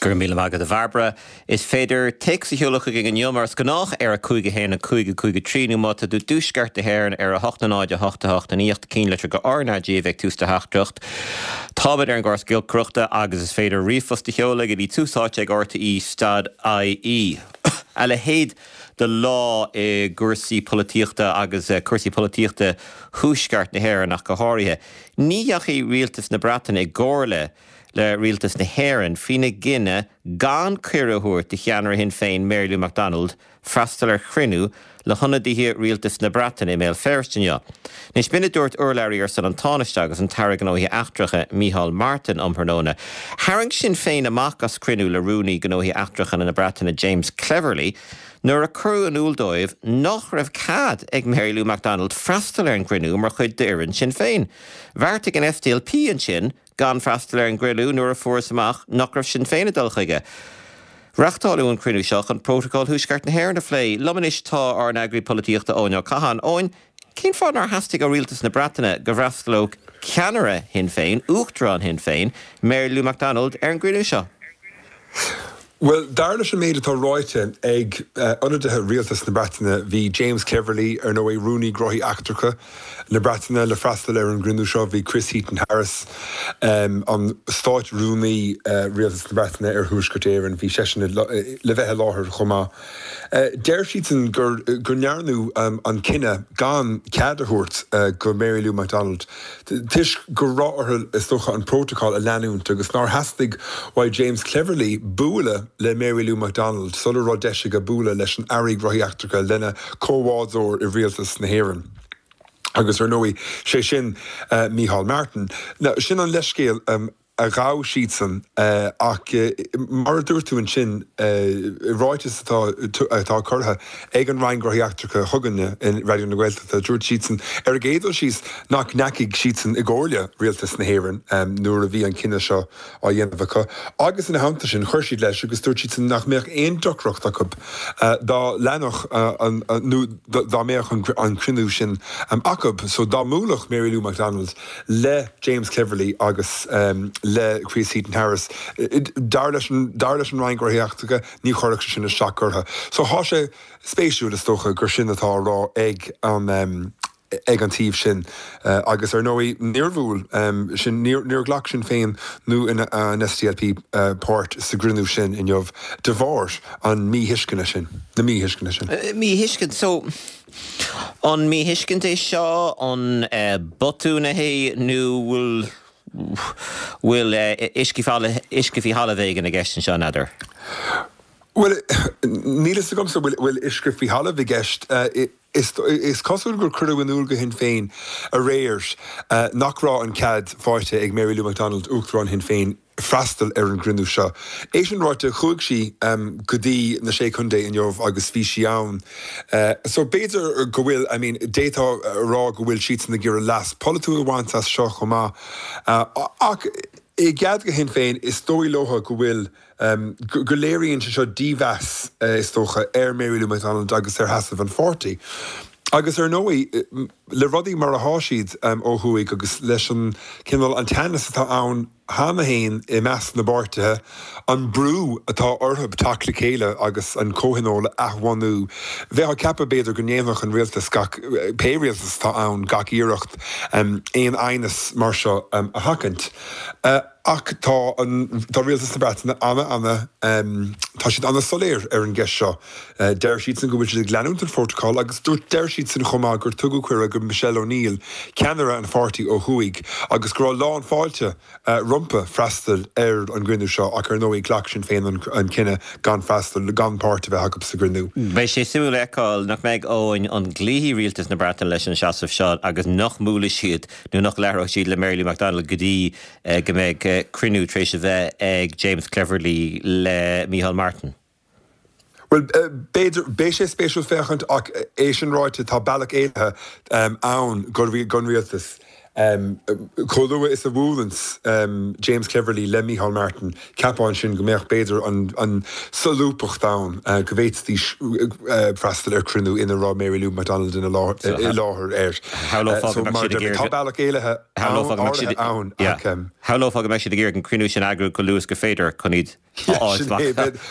Go raibh míle maith agat a Bhairbre. Is féidir téacs a sheoladh chugainn inniu mar is gnách ar 5 1 5 5 3 nó má tá tú i dtuaisceart na hÉireann ar 8 0 8 8 9 8 cinnlitir go RnaG a bheidh tús do theachtaireacht. Táimid ar an gcóras giolcaireachta agus is féidir ríomhphost a sheoladh go dtí tús áite ag rte stad ie. A leithéid de lá i gcúrsaí polaitíochta agus cúrsaí polaitíochta thuaisceart na hÉireann ach go háirithe. Ní dheachaigh rialtas na Breataine i gcomhairle le rialtas na hÉireann faoina gcinneadh gan cuireadh a thabhairt do cheannaire Shinn Féin Mary Lou McDonald freastal ar chruinniú le hionadaithe rialtas na Breataine i mBéal Feirste inniu. Anois b'in a dúirt urlabhraí ar son an Tánaiste agus an tAire Gnóthaí Eachtracha Micheál Martin um thráthnóna. Tharraing Sinn Féin amach as cruinniú le Rúnaí Gnóthaí Eachtracha na Breataine James Cleverly nuair a cuireadh in iúl dóibh nach raibh cead ag Mary Lou McDonald freastal ar an gcruinniú mar chuid d'fhoireann Sinn Féin. Bheartaigh an SDLP ansin gan freastal ar an gcruinniú nuair a fuarthas amach nach raibh Sinn Féin ag dul chuige. Reachtáileadh an cruinniú seo chun Prótacal Thuaisceart na hÉireann a phlé. Liom anois tá ár n-eagraí polaitíochta Eoin Ó Catháin. Eoin, cén fáth nár theastaigh ó rialtas na Breataine go bhfreastalódh ceannaire Shinn Féin, Uachtarán Shinn Féin, Mary Lou McDonald, ar an gcruinniú seo? Bhuel, dar leis an méid atá ráite ag ionadaithe rialtas na Breataine, bhí James Cleverly, ar ndóigh, Rúnaí Gnóthaí Eachtracha na Breataine, le freastal ar an gcruinniú seo. Bhí Chris Heaton-Harris, an Stáit-Rúnaí Rialtas na Breataine ar Thuaisceart Éireann, bhí seisean le bheith i láthair chomh maith. Deir siadsan gur go ndearnadh an cinneadh gan cead a thabhairt go Mary Lou McDonald toisc go raibh orthu, is dócha, an prótacal a leanúint agus nár theastaigh uaidh James Cleverly bualadh le Mary Lou McDonald sula raibh deis aige bualadh leis an Aire Gnóthaí Eachtracha, lena chomhbhádóir i rialtas na hÉireann agus, ar ndóigh, sé sin Micheál Martin. Now, sin an leithscéal. a ghabh siadsan ach mar a dúirt tú ansin i ráiteas atá atá curtha ag an Roinn Gnóthaí Eachtracha chugainne i Raidió na Gaeltachta dúirt siadsan ar an gcéad dul síos nach ndeachaigh siadsan i gcomhairle Rialtas na hÉireann nuair a bhí an cinneadh seo á dhéanamh acu agus ina theannta sin chuir siad leis agus dúirt siadsan nach mbeadh aon deacracht acu dá leanfadh an nó dá mbeadh an cruinniú sin acu so dá mbuailfeadh Mary Lou McDonald le James Cleverly agus le Chris Heaton-Harris. Dar leis an dar leis an Roinn Gnóthaí Eachtracha, ní chuirfeadh sé sin isteach orthu. So thá sé spéisiúil, is dócha, gur sin atá á rá ag an ag an taobh sin. Agus ar ndóigh, níor bhuail sin, níor níor ghlac Sinn Féin nó an SDLP páirt sa gcruinniú sin inniu de bharr an míthuisceana sin, na míthuisceana sin. Míthuiscint, so. An míthuiscint é seo? An botún é nó bhfuil bhfuil uisce faoi thalamh éigin i gceist anseo, n'fheadar? Bhuel, níl fhios agamsa bhfuil bhfuil uisce faoi thalamh i gceist. Is is cosúil gur cuireadh in iúl go Shinn Féin aréir nach raibh an cead faighte ag Mary Lou McDonald, Uachtarán Shinn Féin, freastal ar an gcruinniú seo. É sin ráite, chuaigh sí go dtí na Sé Contae inniu agus bhí sí ann. So b'fhéidir go bhfuil, I mean, d'fhéadfá a rá go bhfuil siadsan ag iarraidh leas polaitiúil a bhaint as seo chomh maith. Ach i gcead go Shinn Féin, is dóigh leo go bhfuil, go léiríonn sé seo dímheas, is dócha, ar Mary Lou McDonald agus ar sheasamh an pháirtí. Agus ar ndóigh, le rudaí mar athá siad ó thuaidh agus leis an cineál, an teannas atá ann cheana féin i measc na bpáirtithe, an brú atá orthu teacht le chéile agus an comhthionól a athbhunú, bheifeá ag ceapadh b'fhéidir go ndéanfadh an rialtas gach, pé rialtas atá ann, gach iarracht aon aighneas mar seo a sheachaint. Ach tá an, tá rialtas na Breataine ana, ana, tá siad ana soiléir ar an gceist seo. Deir siadsan go bhfuil siad ag leanúint an phrótacail agus dúirt, deir siadsan chomh maith gur tugadh cuireadh go Michelle O'Neill, ceannaire an pháirtí ó thuaidh, agus go raibh lán fáilte rompu freastal ar an gcruinniú seo ach ar ndóigh ghlac Sinn Féin an cinneadh gan freastal, gan páirt a bheith acu sa gcruinniú. Beidh sé suimiúil a fheiceáil nach mbeidh Eoin an gcloífidh rialtas na Breataine leis an seasamh seo agus nach mbuailfidh siad nó nach labhróidh siad le Mary Lou McDonald go dtí go mbeidh cruinniú tar éis a bheith ag James Cleverly le Micheál Martin. Bhuel, b'fhéidir, beidh sé spéisiúil féachaint ach é sin ráite tá bealach éalaithe ann don rialtas. Chomh luath is a bhuaileanns James Cleverly le Micheál Martin, cheapfá ansin go mbeadh b'fhéidir an solúbthacht ann go bhféadfaidís freastal ar chruinniú ina raibh Mary Lou McDonald i láthair air. Shamhlófá go mbeadh siad ag iarraidh. Tá bealach éalaithe áirithe ann ach. Shamhlófá go mbeidh siad ag iarraidh an cruinniú sin a eagrú chomh luath is gur féidir chun iad a fháil amach,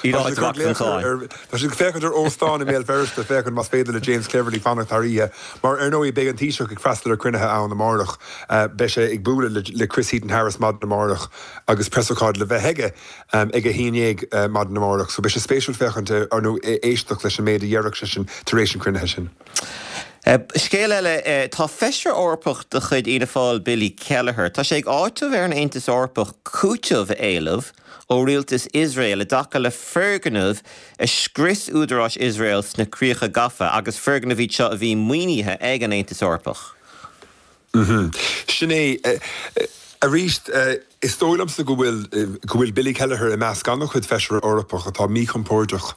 iad a fháil amach den cháin. Tá siad ag féachaint ar óstán i mBéal Feirste féachaint más féidir le James Cleverly fanacht thar oíche mar ar ndóigh beidh an Taoiseach ag freastal ar cruinnithe ann amárach. Beidh sé ag bualadh le Chris Heaton-Harris maidin amárach agus preasócáid le bheith aige ag a 11 maidin amárach. So beidh sé spéisiúil féachaint ar nó éisteacht leis an méid a dhéarfadh seisean tar éis an chruinnithe sin. Scéal eile, tá Feisire Eorpach de chuid Fhianna Fáil, Billy Kelleher, tá sé ag áiteamh ar an Aontas Eorpach cúiteamh a éileamh ó rialtas Iosrael i dtaca le foirgnimh a scrios údaráis Iosrael sna Críocha Gafa agus foirgnimh iad seo a bhí maoinithe ag an Aontas Eorpach. Sin é. Arís, is dóigh liomsa go bhfuil, go bhfuil Billy Kelleher i measc an-chuid Feisire Eorpach atá míchompordach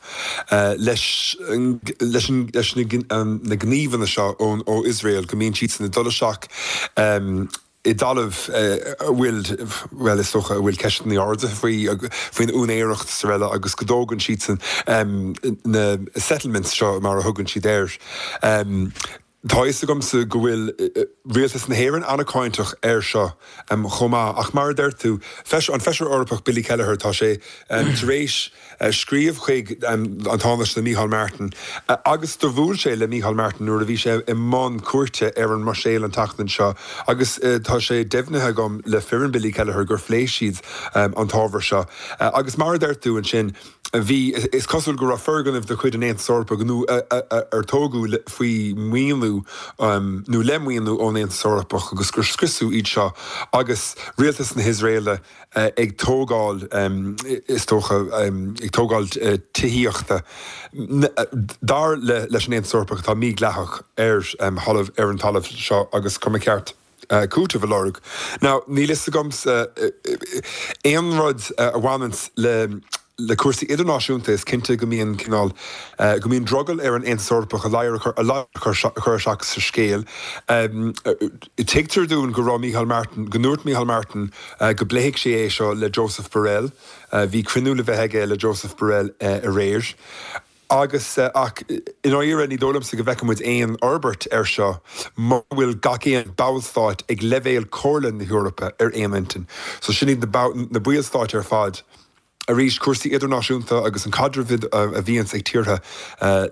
leis, leis an, leis na gníomhanna seo ón, ó Iosrael, go mbíonn siadsan ag dul isteach i dtalamh a bhfuil, bhuel, is dócha, a bhfuil ceisteanna ardaithe faoi, faoin úinéireacht is araile agus go dtógann siadsan na settlements seo, mar a thugann siad air. Tá a fhios agamsa go bhfuil Rialtas na hÉireann an-cáinteach air seo chomh maith, ach mar a deir tú, an Feisire Eorpach Billy Kelleher, tá sé tar éis scríobh chuig an Tánaiste Micheál Martin agus do bhuail sé le Micheál Martin nuair a bhí sé i mbun cuairte ar an mBruiséil an tseachtain seo agus tá sé deimhnithe agam le foireann Billy Kelleher gur phléigh siad an t-ábhar seo. Agus mar a deir tú ansin, Bhí, is cosúil go raibh foirgnimh de chuid an Aontais Eorpaigh nó ar tógadh faoi mhaoiniú nó le maoiniú ón Aontas Eorpach agus gur scriosadh iad seo agus rialtas na hIosraeile ag tógáil, is dócha, ag tógáil tithíochta, dar leis an Aontas Eorpach, atá mídhleathach ar thalamh, ar an talamh seo agus go mba cheart. cúiteamh a lorg. Now, níl fhios agamsa aon rud a bhaineanns le le cúrsaí idirnáisiúnta, is cinnte go mbíonn cineál, go mbíonn drogall ar an Aontas Eorpach a ladhar a ladhar a chur isteach sa scéal. Tuigtear dúinn go raibh Micheál Martin, go ndúirt Micheál Martin go bpléifidh sé é seo le Joseph Borrell. Bhí cruinniú le bheith aige le Joseph Borrell aréir. Agus, ach i ndáiríre, ní dóigh liomsa go bhfeicfidh muid aon fhorbairt air seo mura bhfuil gach aon bhallstáit ag leibhéal Chomhairle na hEorpa ar aon intinn. So sin iad na ballstáit ar fad. Arís, cúrsaí idirnáisiúnta agus an caidreamh a bhíonns ag tíortha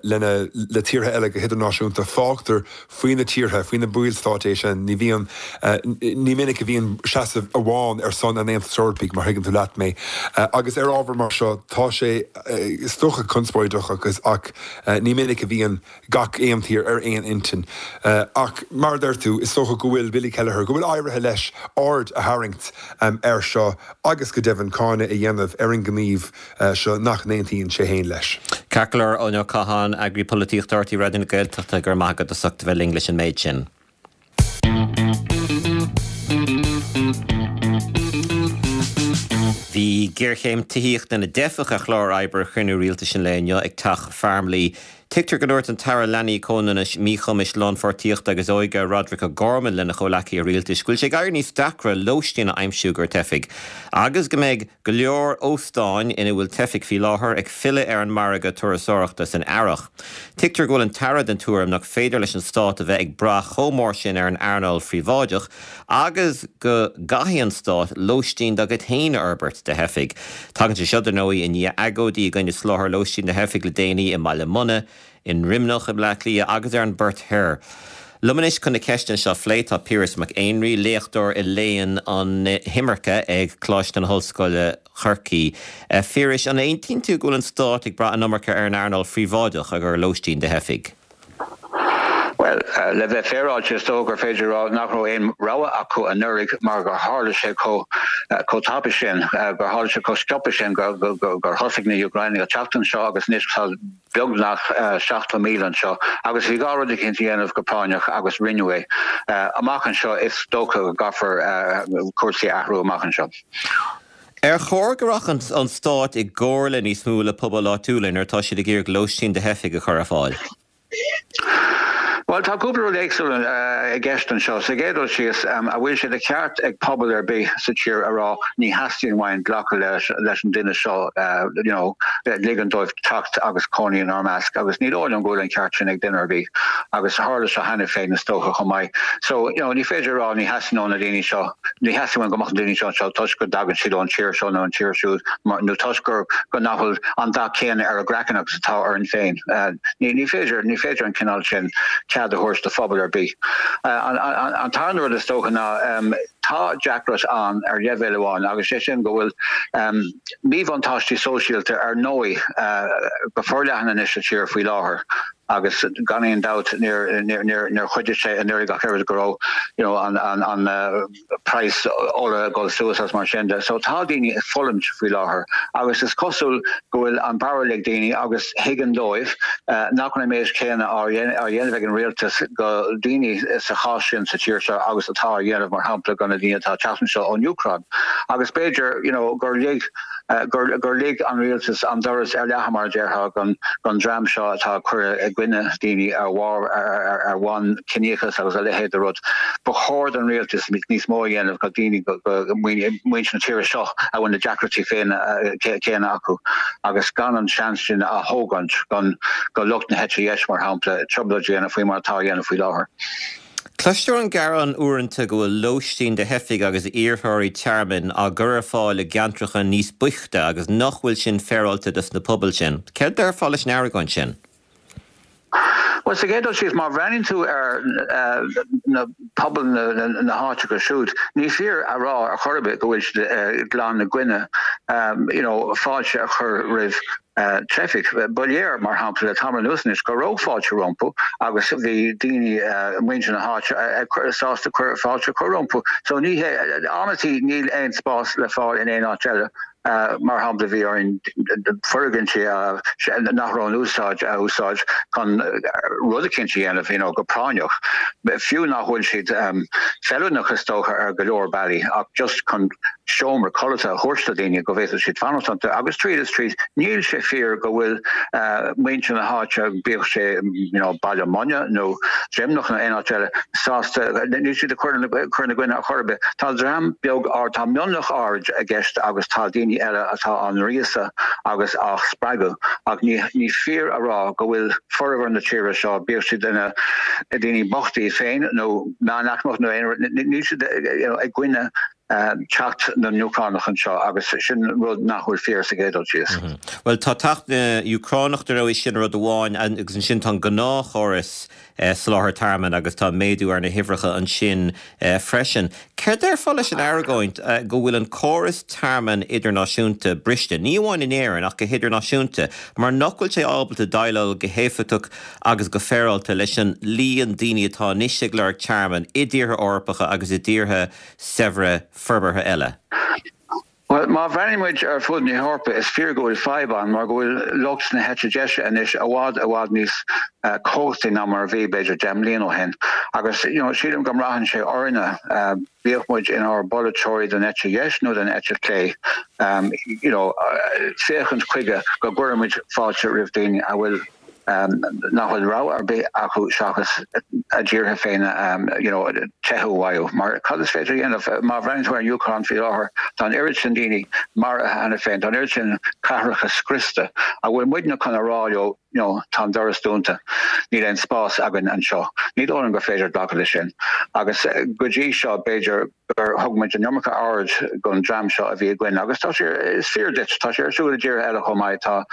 lena, le tíortha eile go hidirnáisiúnta, fágtar faoi na tíortha, faoi na ballstáit é sin. Ní bhíonn, ní minic a bhíonn seasamh amháin ar son an Aontais Eorpaigh, mar thuigeann tú leat mé. Agus ar ábhar mar seo, tá sé, is dócha, conspóideach agus, ach ní minic a bhíonn gach aon tír ar aon intinn. Ach mar a deir tú, is dócha go bhfuil Billy Kelleher, go bhfuil éirithe leis aird a tharraingt air seo agus go deimhin cáineadh a dhéanamh ar an ngníomh seo nach n-aontaíonn sé féin leis. Ceart go leor, Eoin Ó Catháin, Eagraí Polaitíochta RTÉ Raidió na Gaeltachta, go raibh maith agat as ucht a bheith linn leis an méid sin. Bhí géarchéim tithíochta na dteifeach ar chlár oibre chruinniú rialtais an lae inniu ag Teach Farmleigh. Tuigtear go ndúirt an tAire Leanaí, Comhionannais, Míchumais, Lánpháirtíochta agus Óige, Roderic O'Gorman lena chomhleacaithe rialtais go bhfuil sé ag éirí níos deacra lóistín a aimsiú do theifigh agus go mbeidh go leor óstáin ina bhfuil teifigh faoi láthair ag filleadh ar an margadh turasóireachta san earrach. Tuigtear go bhfuil an tAire den tuairim nach féidir leis an stát a bheith ag brath chomh mór sin ar an earnáil phríobháideach agus go gcaithfidh an stát lóistín dá gcuid féin a fhorbairt do theifigh. Tagann sé seo, dar ndóigh, i ndiaidh agóidí i gcoinne soláthar lóistín do theifigh le déanaí i mBaile Munna, i nDroimneach i mBleá Cliath agus ar an bPort Thoir. Liom anois chun na ceisteanna seo a phlé tá Piaras Mac Éinrí, léachtóir i léann an imirce ag Coláiste na hOllscoile, Corcaigh. A Phiarais, an aontaíonn tú go bhfuil an stát ag brath an iomarca ar an earnáil phríobháideach i gcomhair lóistín do theifigh? Bhuel, le bheith féaráilte, is dóigh gur féidir a rá nach raibh aon rogha acu anuraidh mar gur tharla sé chomh tapa sin, gur tharla sé chomh sciobtha sin gur thosaigh na hÚcránaigh ag teacht anseo agus anois tá beagnach 70,000 anseo agus bhí gá rud eicínt a dhéanamh go práinneach agus rinneadh é. Amach anseo is dócha go gcaithfear cúrsaí a athrú amach anseo. Ar chóir go rachadh an stát i gcomhairle níos mó le pobail áitiúla nuair atá siad ag iarraidh lóistín do theifigh a chur ar fáil? Bhuel, tá cúpla rud éagsúil i gceist anseo. Sa gcéad dul síos, an bhfuil sé de cheart ag pobal ar bith sa tír a rá ní theastaíonn uainn glacadh leis an duine seo, you know, ligean dóibh teacht agus cónaí inár measc agus ní dóigh liom go bhfuil an ceart sin ag duine ar bith agus tharla seo cheana féin is dócha chomh maith. So, you know, ní féidir a rá ní theastaíonn ó na daoine seo, ní theastaíonn uainn go mbeadh na daoine seo anseo toisc go dtagann siad ón tír seo nó an tír siúd nó toisc gur go nach bhfuil an dath céanna ar a gcraiceann agus atá orainn féin. Ní féidir, ní féidir an cineál sin cead a thabhairt do phobal ar bith. An tarna rud is dócha ná tá deacracht ann ar leibhéal amháin agus sé sin go bhfuil míbhuntáistí sóisialta ar ndóigh go forleathan anois sa tír faoi láthair agus gan aon dabht níor chuidigh sé anuraidh ach oiread go raibh you know an praghas ola ag dul suas agus mar sin de. So tá daoine ag fulaingt faoi láthair agus is cosúil go bhfuil an barúil ag daoine agus thuigeann dóibh nach bhfuil an méid céanna á dhéanamh ag an rialtas go daoine sa chás sin sa tír seo agus atá á dhéanamh mar shampla go na daoine atá ag teacht anseo ón Úcráin. Agus b'fhéidir you know gur lig gur lig an rialtas an doras ar leathadh, mar a déarfá, don dream seo atá ag cur i gcoinne daoine ar ar bhonn ciníochas agus a leithéid de rud. Ba chóir don rialtas níos mó a dhéanamh go daoine, go muintir na tíre seo a bhfuil na deacrachtaí féin céanna acu agus gan an seans sin a thógaint go lucht na heite dheis, mar shampla, trioblóid a dhéanamh faoi mar atá á dhéanamh faoi láthair. Cloistear an gearán uaireanta go bhfuil lóistín do theifigh agus iarrthóirí tearmainn á gcur ar fáil i gceantracha níos boichte agus nach bhfuil sin féaráilte dos na pobail sin. Céard déarfá leis an argóint sin? Bhuel, sa gcéad dul síos, má bhreathnaíonn tú ar na pobail na háiteacha siúd, ní fíor a rá ar chor ar bith go bhfuil siad glan i gcoinne you know fáilte a chur roimh teifigh. Ba léir, mar shampla, le tamall anuas anois go raibh fáilte rompu agus bhí daoine, muintir na háite, sásta fáilte a chur rompu. So ní hé, amantaí níl aon spás le fáil in aon áit eile. Mar shampla, bhí orainn foirgintí nach raibh in úsáid a úsáid chun rud eicínt a dhéanamh, you know, go práinneach. Fiú nach bhfuil siad feiliúnach is dócha ar go leor bealaí ach just chun seomra codlata a thabhairt do dhaoine go bhféadfadh siad fanacht iontu agus tríd is tríd níl sé fíor go bhfuil muintir na háite, bíodh sé you know Baile Munna nó Droimneach nó aon áit eile, sásta, níl siad ag cur ina gcoinne ar chor ar bith. Tá dream beag áirid, tá mionlach áirid i gceist agus tá daoine eile atá á ngríosadh agus á spreagadh ach ní ní fíor a rá go bhfuil formhór na tíre seo, bíodh siad ina daoine bochta iad féin nó meánaicmeach nó aon rud, níl siad you know i gcoinne teacht na nÚcránach anseo agus sin rud nach bhfuil fíor sa gcéad dul síos. Bhuel, tá teacht na nÚcránach dar ndóigh, sin rud amháin agus ansin tá an gnáthchóras soláthair tearmainn agus tá méadú ar na huimhreacha ansin freisin. Céard déarfá leis an argóint go bhfuil an córas tearmainn idirnáisiúnta briste, ní amháin in Éirinn ach go hidirnáisiúnta, mar nach bhfuil sé ábalta déileáil go héifeachtach agus go féaráilte leis an líon daoine atá anois ag lorg tearmainn i dtíortha Eorpacha agus i dtíortha saibhre forbartha eile. Bhuel, má bhreathnaíonn muid ar fud na hEorpa, is fíor go bhfuil fadhb ann mar go bhfuil lucht na heite deise anois i bhfad, i bhfad níos cumhachtaí ná mar a bhí, b'fhéidir, 10 mbliana ó shin. Agus, you know, sílim go mbraitheann sé orainne, bíodh muid inár bpolaiteoirí den eite dheis nó den eite chlé, you know, féachaint chuige go gcuireann muid fáilte roimh daoine a bhfuil nach bhfuil rogha ar bith acu seachas a dtíortha féin you know teitheadh uathu. Mar cad is féidir a dhéanamh? Má bhreathnaíonn tú ar an Úcráin faoi láthair, tá an oiread sin daoine maraithe cheana féin, tá an oiread sin cathracha scriosta. An bhfuil muidne chun a rá leo you know tá an doras dúnta, níl aon spás againn anseo? Ní dóigh liom gur féidir glacadh leis sin. Agus go dtí seo, b'fhéidir, gur thug muid an iomarca aird don dream seo a bhí i gcoinne agus tá sé, is fíor duit, tá sé ar siúl i dtíortha eile chomh maith. Tá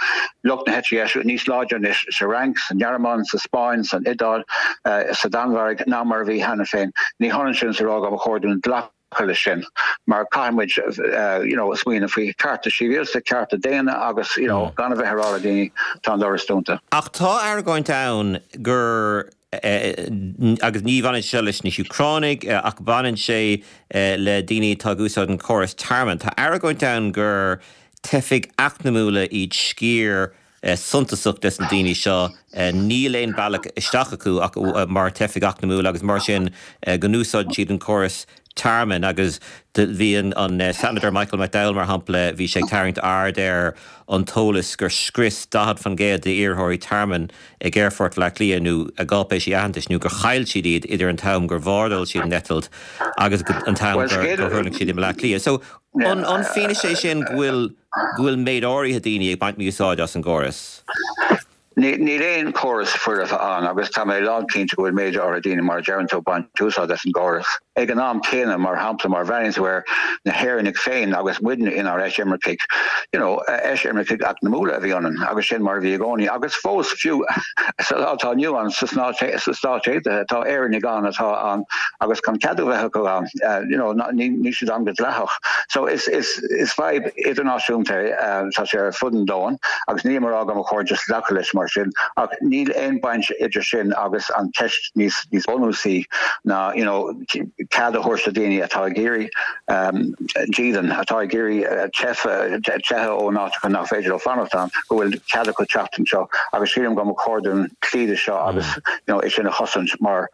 lucht na heite dheise níos láidre anois sa Fhrainc, sa nGearmáin, sa Spáinn, san Iodáil, sa Danmhairg ná mar a bhí cheana féin. Ní hionann sin is a rá go mba chóir dúinn glacadh leis sin mar caithfidh muid you know smaoineamh faoi chearta sibhialta, cearta daonna agus you know gan a bheith ag rá le daoine tá an doras dúnta. Ach tá argóint ann gur agus ní bhaineann sé seo leis na hÚcránaigh ach baineann sé le daoine atá ag úsáid an córas tearmainn. Tá argóint ann gur teifigh eacnamúla iad sciar suntasach des na daoine seo. Níl aon bealach isteach acu ach mar teifigh eacnamúla agus mar sin go n-úsáideann siad an córas. tearmainn agus bhí an Seanadóir Michael McDowell, mar shampla, bhí sé ag tarraingt aird ar an t-eolas gur scrios 40% d'iarrthóirí tearmainn ag Aerfort Bhaile Átha Cliath nó a gcáipéisí aitheantais nó gur chaill siad iad idir an t-am gur bhordáil siad an eitilt agus an t-am gur thuirling siad i mBaile Átha Cliath. So, an fianaise é sin go bhfuil go bhfuil méid áirithe daoine ag baint mí-úsáid as an gcóras? Níl aon chóras foirfe ann agus tá mé lánchinnte go bhfuil méid áirithe daoine, mar a deireann tú, ag baint úsáid as an gcóras. Ag an am céanna, mar shampla, má bhreathnaíonn tú ar na hÉireannaigh féin agus muidne inár eisimircigh, you know, eisimircigh eacnamúla a bhí ionainn agus sin mar a bhí i gcónaí agus fós, fiú sa lá atá inniu ann sna Stáit Aontaithe, tá Éireannaigh ann atá ann agus gan cead a bheith acu ann, you know, níl siad ann go dleathach. So is, is. Is fadhb idirnáisiúnta é, tá sé ar fud an domhain agus nílim ag rá go mba chóir just glacadh leis mar sin ach níl aon baint idir sin agus an cheist níos níos bunúsaí ná you know cead a thabhairt do daoine atá ag iarraidh dídean, atá ag iarraidh teitheadh ó áiteacha nach féidir leo fanacht ann, go bhfuil cead acu teacht anseo agus sílim go mba chóir dúinn cloí le seo agus you know é sin a chosaint mar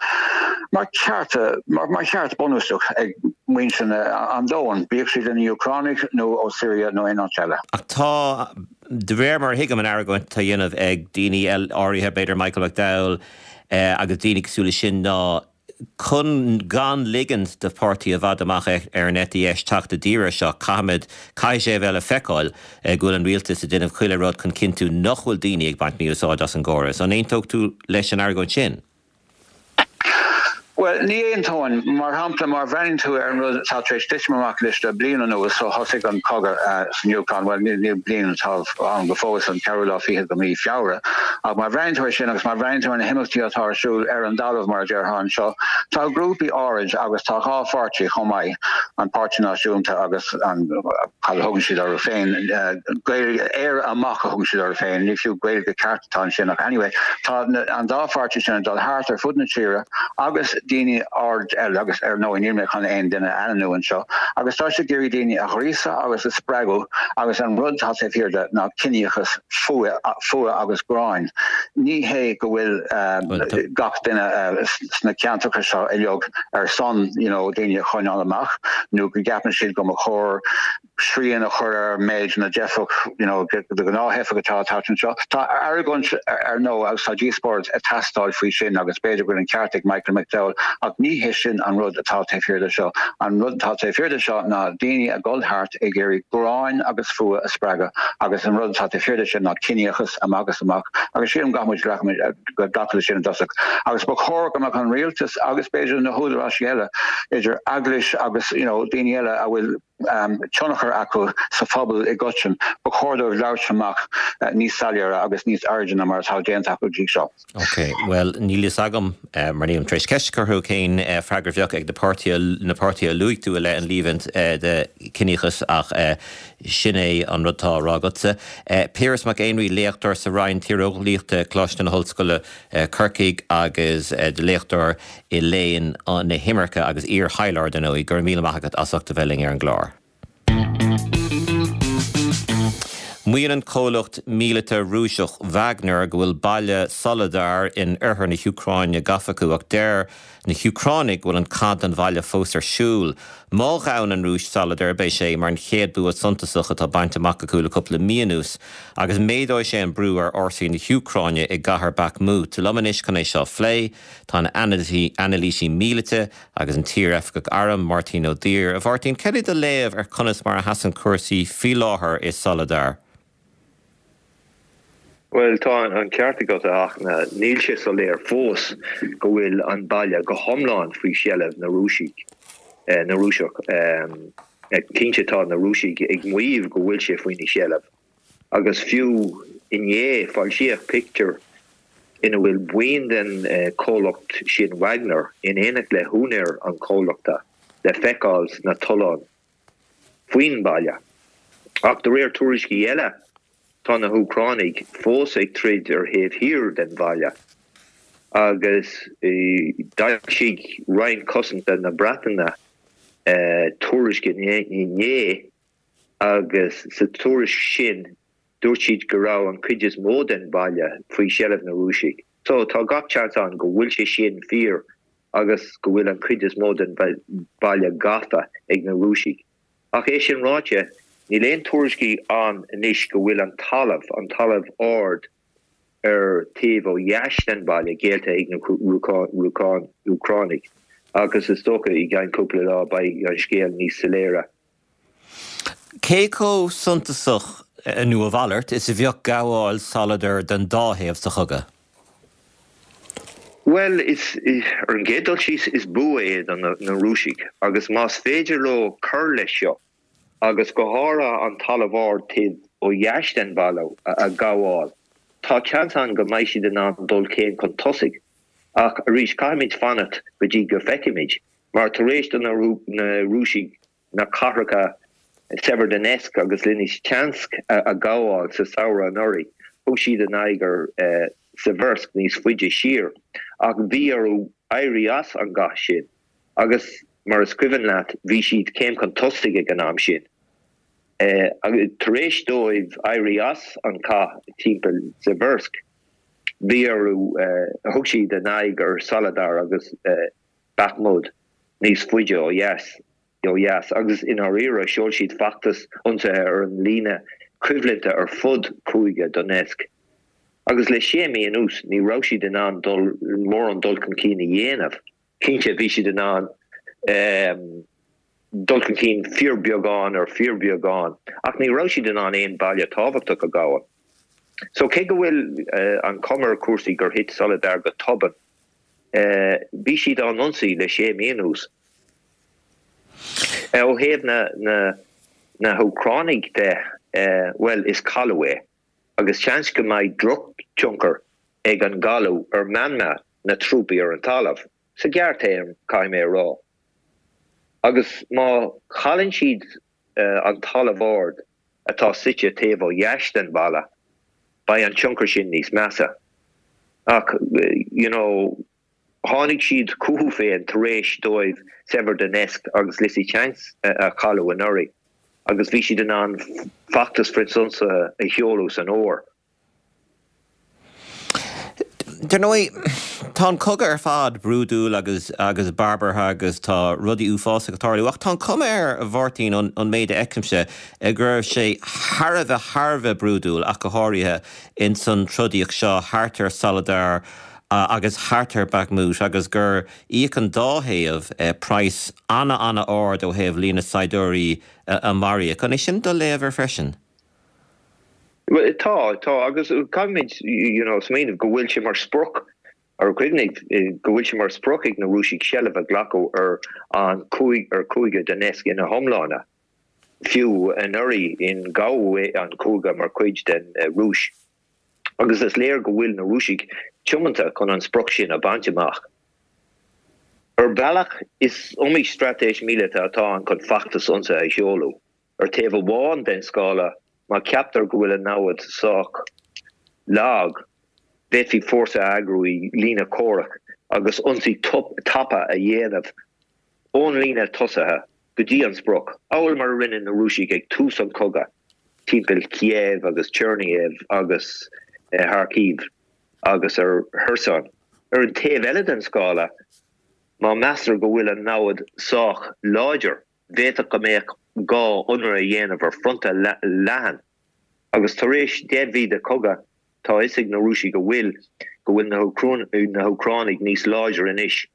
mar cheart mar mar cheart bunúsach ag muintir an domhain, bíodh siad ina Úcránaigh nó ó Syria nó aon áit eile. Ach tá, de réir mar a thuigim an argóint atá á dhéanamh ag daoine áirithe, b'fhéidir Michael McDowell agus daoine cosúil leis sin, ná chun gan ligint do pháirtí i bhfad amach ar an eite dheis teacht i dtír air seo, caithfimid, caithfidh sé a bheith le feiceáil go bhfuil an rialtas ag déanamh chuile rud chun cinntiú nach bhfuil daoine ag baint mí-úsáid as an gcóras. An aontódh tú leis an argóint sin? Bhuel, ní aontóinn. Mar shampla, má bhreathnaíonn tú ar an rud atá tar éis titim amach anois le bliain anuas ó thosaigh an cogadh san Úcráin, bhuel, níl bliain atá ann go fóill, an ceathrú lá fichead de mhí Feabhra, ach má bhreathnaíonn tú air sin agus má bhreathnaíonn tú ar na himeachtaí atá ar siúl ar an dtalamh, mar a déarfá anseo, tá grúpaí áirid agus tá dhá pháirtí chomh maith, an Páirtí Náisiúnta agus an, cad a thugann siad orthu féin, Gaeilge, Éire Amach a thugann siad orthu féin, ní fiú Gaeilge ceart atá ansin ach anyway tá an dá pháirtí sin ag dul thart ar fud na tíre agus daoine áirid eile agus ar ndóigh níl mé chun aon duine a ainmniú anseo agus tá siad ag iarraidh daoine a ghríosadh agus a spreagadh agus an rud atá taobh thiar de ná ciníochas, fuath, fuath agus gráin. Ní hé go bhfuil gach duine sna ceantracha seo uilig ar son you know daoine a choinneáil amach nó go gceapann siad go mba chóir srian a chur ar méid na dteifeach, you know, de ghnáth-theifigh atá ag teacht anseo. Tá argóint ar ndóigh agus tá díospóireacht ag teastáil faoi sin agus b'fhéidir go bhfuil an ceart ag Michael McDowell ach ní hé sin an rud atá taobh thiar de seo. An rud atá taobh thiar de seo ná daoine ag dul thart ag iarraidh gráin agus fuath a spreagadh agus an rud atá taobh thiar de sin ná ciníochas amach is amach agus sílim go gcaithfidh muid glacadh leis sin i dtosach. Agus ba chóir go mbeadh an rialtas agus b'fhéidir na húdaráis eile idir eaglais agus you know daoine eile a bhfuil tionchar acu sa phobal i gcoitinne, ba chóir dóibh labhairt amach níos soiléire agus níos airde ná mar atá déanta acu go dtí seo. Ok, bhuel, níl fhios agam, mar nílim tar éis ceist a chur orthu, cén freagra a bheadh ag na páirtithe, na páirtithe a luaigh tú i leith an líomhaint de chiníochas ach sin é an rud atá á rá agatsa. Piaras Mac Éinrí, léachtóir sa Roinn Tíreolaíochta, Coláiste na hOllscoile, Corcaigh agus léachtóir i léann na himirce agus iar-thaidhleoir, dar ndóigh. Go raibh míle maith agat as ucht a bheith linn ar an gclár. Maíonn an comhlacht míleata Rúiseach Wagner go bhfuil baile Soledar in oirthear na hÚcráine gafa acu ach deir na hÚcránaigh go bhfuil an cath don bhaile fós ar siúl. Má ghabhann an Rúis Soledar beidh sé mar an chéad bua suntasach atá bainte amach acu le cúpla mí anuas agus méadóidh sé an brú ar fhórsaí na hÚcráine i gcathair Bakhmut. Liom anois chun é seo a phlé, Tá an anailísí míleata agus an t-iar-oifigeach airm, Máirtín Ó Duibhir. A Mháirtín, cad é do léamh ar conas mar a sheasann cúrsaí faoi láthair i Soledar? Bhuel, tá an ceart agat, a Fhachtna. Níl sé soiléir fós go bhfuil an baile go hiomlán faoi sheilbh na Rúisigh, na Rúiseach. Cinnte, tá na Rúisigh ag maíomh go bhfuil sé faoina sheilbh. Agus fiú inné, foilsíodh pictiúr ina bhfuil buíon den chomhlacht sin Wagner in éineacht le húinéir an chomhlachta le feiceáil sna tolláin faoin mbaile. Ach de réir tuairiscí eile, tá na hÚcránaigh fós ag troid ar thaobh thiar den bhaile. Agus d'fhoilsigh Roinn Cosanta na Breataine tuairisc inné agus sa tuairisc sin dúirt siad go raibh an chuid is mó den bhaile faoi sheilbh na Rúisigh. So tá gach seans ann go bhfuil sé sin fíor. agus go bhfuil an chuid is mó den bhaile gafa ag na Rúisigh. Ach é sin ráite, níl aon tuairiscí ann anois go bhfuil an talamh, an talamh ard ar taobh ó dheas den bhaile, géillte ag na Úcránaigh agus is dócha i gceann cúpla lá beidh an scéal níos soiléire. Cé chomh suntasach, nó a mhalairt, is a bheadh gabháil Soledar don dá thaobh sa chogadh? Bhuel, is, ar an gcéad dul síos, is bua é do na Rúisigh agus más féidir leo cur leis seo, agus go háirithe an talamh ard taobh ó dheas den bhaile a ghabháil, tá seans ann go mbeidh siad in ann dul céim chun tosaigh. Ach arís, caithfimid fanacht go dtí go bhfeicfimid, mar tar éis do na Rúisigh na cathracha Severodonetsk agus Lysychansk a ghabháil sa samhradh anuraidh. Thug siad a n-aghaidh ar Siversk níos faide siar ach bhí orthu éirí as an gcath sin agus, mar is cuimhin leat, bhí siad céim chun tosaigh ag an am sin. Tar éis dóibh éirí as an chath timpeall Siversk, bhí orthu, thug siad a n-aghaidh ar Soledar agus Bakhmut níos faide ó dheas, ó dheas, agus i ndáiríre sheol siad feachtas ionsaithe ar an líne choimhlinte ar fud chúige Donetsk. Agus le sé mí anuas ní raibh siad in ann dul mórán dul chun cinn a dhéanamh. Cinnte bhí siad in ann dul chun cinn fíorbheagán ar fíorbheagán, ach ní raibh siad in ann aon bhaile tábhachtach a ghabháil. So cé go bhfuil an chuma ar chúrsaí gur thit Soledar go tobann, Bhí siad á n-ionsaí le sé mí anuas. Ó thaobh na hÚcránaigh de, bhuel, is cailleadh é agus seans go mbeidh drochthionchar ag an gcailleadh ar mheanma na trúpaí ar an talamh, sa ghearrthéarma, caithfidh mé a rá. Agus má chailleann siad an talamh ard atá suite taobh ó dheas den bhaile, beidh an tionchar sin níos measa. Ach, you know, tháinig siad chucu féin tar éis dóibh Severodonetsk agus Lysychansk a chailleadh anuraidh agus bhí siad in ann feachtas frithionsaithe a sheoladh san fhómhar. Dar ndóigh, tá an cogadh ar fad brúidiúil agus agus barbartha agus tá rudaí uafásacha ag tarlú, ach tá an chuma air, a Mháirtín, ón méid a fheicimse, go raibh sé thar a bheith, thar a bheith brúidiúil, ach go háirithe ins an trodaíocht seo thart ar Soledar agus thart ar Bakhmut agus gur íoc an dá thaobh praghas ana-ana-ard ó thaobh líon na saighdiúirí a maraíodh. An é sin do léamh air freisin? Bhuel, tá, tá, agus caithfimid, you know, smaoineamh go bhfuil sé mar sprioc, ar cuimhnigh, go bhfuil sé mar sprioc ag na Rúisigh seilbh a ghlacadh ar an cúig, ar chúige Donetsk ina hiomláine, fiú anuraidh in gabhadh an cúige mar chuid den Rúis. Agus is léir go bhfuil na Rúisigh tiomanta chun an sprioc sin a bhaint amach. Ar bhealach, is iomaí straitéis míleata atá ann chun feachtas ionsaithe a sheoladh. Ar taobh amháin den scála, má cheaptar go bhfuil an namhaid sách lag, d'fhéadfaí fórsa a eagrú i líne comhraic agus ionsaí tapa a dhéanamh ón líne tosaithe go dtí an sprioc, amhail mar a rinne na Rúisigh ag tús an chogaidh timpeall Kiev agus Chernihiv agus Kharkiv agus ar Kherson. Ar an taobh eile den scála, má meastar go bhfuil an namhaid sách láidir, D'fhéadfadh go mbeadh gá ionradh a dhéanamh ar fronta leathan, agus tar éis 10 mhí de chogadh, tá a fhios ag na Rúisigh go bhfuil go bhfuil na hÚcránaigh níos láidre anois.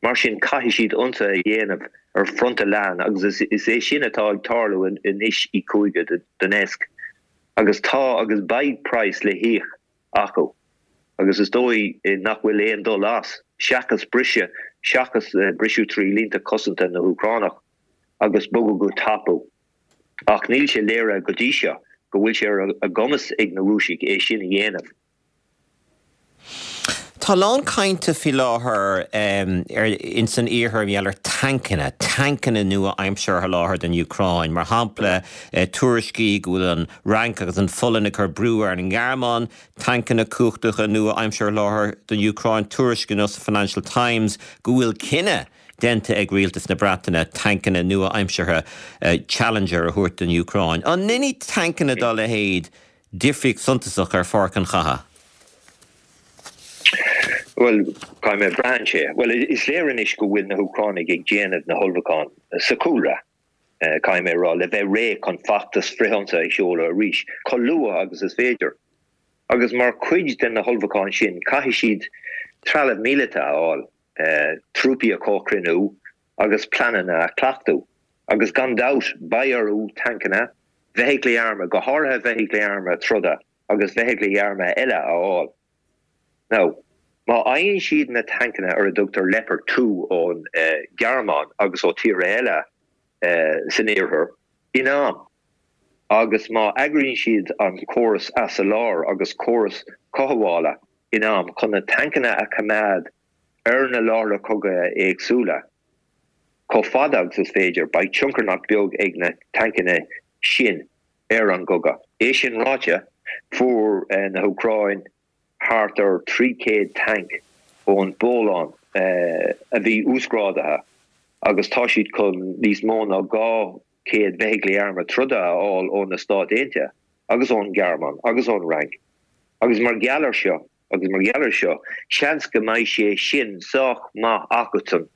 Mar sin, caithfidh siad ionsaithe a dhéanamh ar fronta leathan agus is é sin atá ag tarlú anois i gcúige Donetsk. Agus tá agus beidh praghas le híoc acu agus is dóigh nach bhfuil aon dul as seachas briseadh, seachas briseadh trí línte cosanta na hÚcránach agus bogadh go tapa. Ach níl sé léirithe go dtí seo go bhfuil sé ar a gcumas ag na Rúisigh é sin a dhéanamh. Tá a lán cainte faoi láthair ins an iarthar mar gheall ar tancanna, tancanna nua-aimseartha a sholáthar don Úcráin. Mar shampla, tuairiscí go bhfuil an Fhrainc agus an Pholainn ag cur brú ar an nGearmáin tancanna cumhachtacha nua-aimseartha a sholáthar don Úcráin. Tuairisc inniu sa Financial Times go bhfuil cinneadh déanta ag rialtas na Breataine tancanna nua-aimseartha Challenger a thabhairt don Úcráin. An ndéanfaidh tancanna dá leithéid difríocht suntasach ar pháirc an chatha? Bhuel, caithfidh mé, braitheann sé. Bhuel, is léir anois go bhfuil na hÚcránaigh ag déanamh na hullmhúcháin sa chúlra, caithfidh mé a rá, le bheith réidh chun feachtas frithionsaithe a sheoladh arís, chomh luath agus is féidir. Agus mar chuid de na hullmhúcháin sin, caithfidh siad trealamh míleata a fháil, trúpaí a chomhchruinniú agus pleananna a chleachtadh. Agus gan dabht, beidh orthu tancanna, feithiclí armtha, go háirithe feithiclí armtha troda agus feithiclí armtha eile a fháil. Now, má fhaigheann siad na tancanna ar a dtugtar Leopard 2 ón Ghearmáin agus ó tíortha eile san Iarthar in am, agus má eagraíonn siad an córas assoláthair agus córas cothabhála in am chun na tancanna a choimeád ar na láithreacha cogaidh éagsúla chomh fada agus is féidir, beidh tionchar nach beag ag na tancanna sin ar an gcogadh. É sin ráite, fuair na hÚcráin thart ar 300 tanc ón bPolainn a bhí uasghrádaithe agus tá siad chun níos mó ná 200 feithiclí armtha troda a fháil ó na Stáit Aontaithe agus ón Ghearmáin agus ón Fhrainc. Agus mar gheall ar seo, agus mar gheall ar seo, seans go mbeidh sé sin sách maith acusan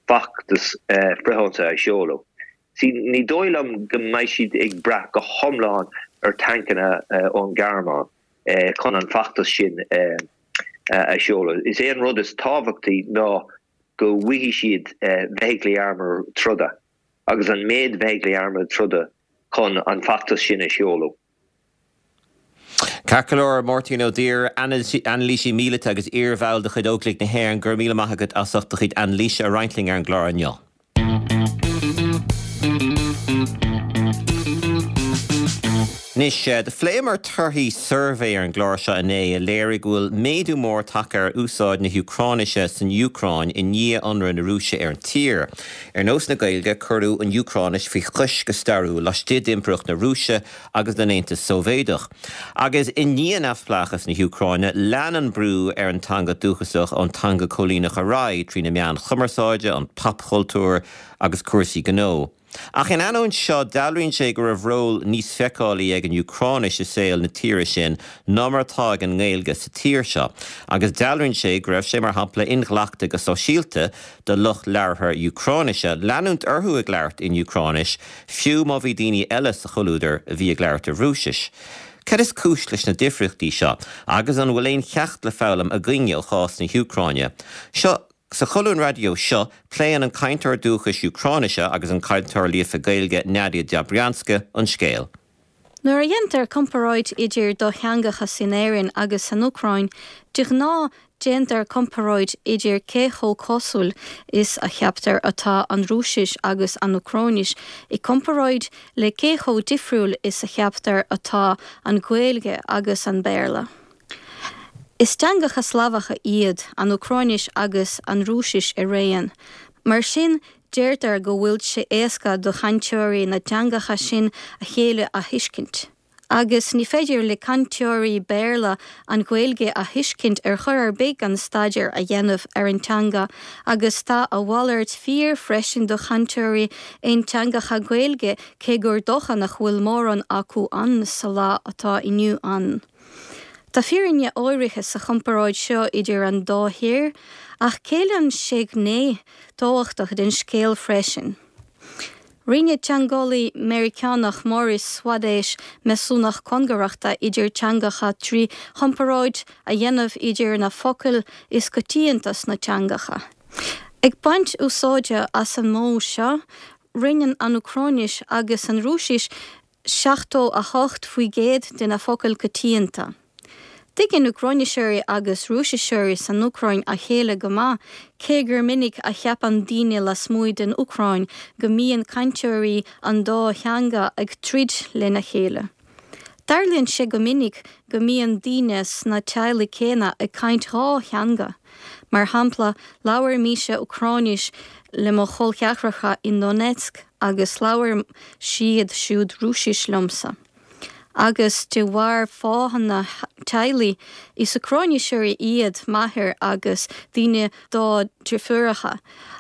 feachtas frithionsaithe a sheoladh. See, ní dóigh liom go mbeidh siad ag brath go hiomlán ar tancanna ón Ghearmáin chun an feachtas sin a sheoladh. Is é an rud is tábhachtaí ná go bhfaighidh siad feithiclí armtha troda agus an méid feithiclí armtha troda chun an feachtas sin a sheoladh. Ceart go leor, Máirtín Ó Duibhir, anailísí míleata agus iarbhall de chuid Óglaigh na hÉireann, go raibh míle maith agat as ucht do chuid anailíse a roinnt linn ar an gclár inniu. Anois, do phléamar torthaí suirbhé ar an gclár seo inné a léirigh go bhfuil méadú mór tagtha ar úsáid na hÚcráinise san Úcráin i ndiaidh ionradh na Rúise ar an tír. Ar nós na Gaeilge, cuireadh an Úcráinis faoi chois go stairiúil laistigh d'Impireacht na Rúise agus den Aontas Sóivéadach. Agus i ndiaidh neamhspleáchas na hÚcráine, lean an brú ar an teanga dúchasach ón teanga cóilíneach ar aghaidh trí na meáin chumarsáide, an popchultúr agus cúrsaí gnó. Ach in ainneoin seo, dealraíonn sé go raibh ról níos feiceálaí ag an Úcráinis i saol na tíre sin ná mar atá ag an nGaeilge sa tír seo. Agus dealraíonn sé go raibh sé, mar shampla, inghlactha go sóisialta do lucht labhartha Úcráinise leanúint orthu ag labhairt in Úcráinis fiú má bhí daoine eile sa chomhluadar a bhí ag labhairt i Rúisis. Cad is cúis leis na difríochtaí seo agus an bhfuil aon cheacht le foghlaim againne ó chás na hÚcráine? Seo Sa cholún raidió seo, pléann an cainteoir dúchais Úcráinise agus an cainteoir líofa Gaeilge Nadia Dobrianska an scéal. Nuair a dhéantar comparáid idir do theangacha in Éirinn agus san Úcráin, de ghnáth déantar comparáid idir cé chomh cosúil is a cheaptar atá an Rúisis agus an Úcráinis i gcomparáid le cé chomh difriúil is a cheaptar atá an Ghaeilge agus an Béarla. Is teangacha Slavacha iad an Úcráinis agus an Rúisis araon. Mar sin, deirtear go bhfuil sé éasca do chainteoirí na dteangacha sin a chéile a thuiscint. Agus ní féidir le cainteoirí Béarla an Ghaeilge a thuiscint ar chor ar bith gan staidéar a dhéanamh ar an teanga agus tá a mhalairt fíor freisin do chainteoirí aonteangacha Gaeilge cé gur dócha nach bhfuil mórán acu ann sa lá atá inniu ann. Tá fírinne áirithe sa chomparáid seo idir an dá thír ach ceileann sé gné tábhachtach den scéal freisin. Rinne teangeolaí Meiriceánach Morris Swadesh measúnacht cóngarachta idir teangacha trí chomparáid a dhéanamh idir na focail is coitianta sna teangacha. Ag baint úsáide as an modh seo, roinneann an Úcráinis agus an Rúisis 78% de na focail coitianta. Tuigeann Úcráiniseoirí agus Rúisiseoirí san Úcráin a chéile go maith, cé gur minic a cheapann daoine lasmuigh den Úcráin go mbíonn cainteoirí an dá theanga ag troid lena chéile. Tarlaíonn sé go minic go mbíonn daoine sna teaghlaigh céanna ag caint dhá theanga. Mar shampla, labhair mise Úcráinis le mo chol ceathracha i nDonetsk agus labhair siad siúd Rúisis liomsa. Agus de bharr fáthanna teaghlaigh, is Úcráiniseoirí iad m'athair agus duine dá dheirfiúracha,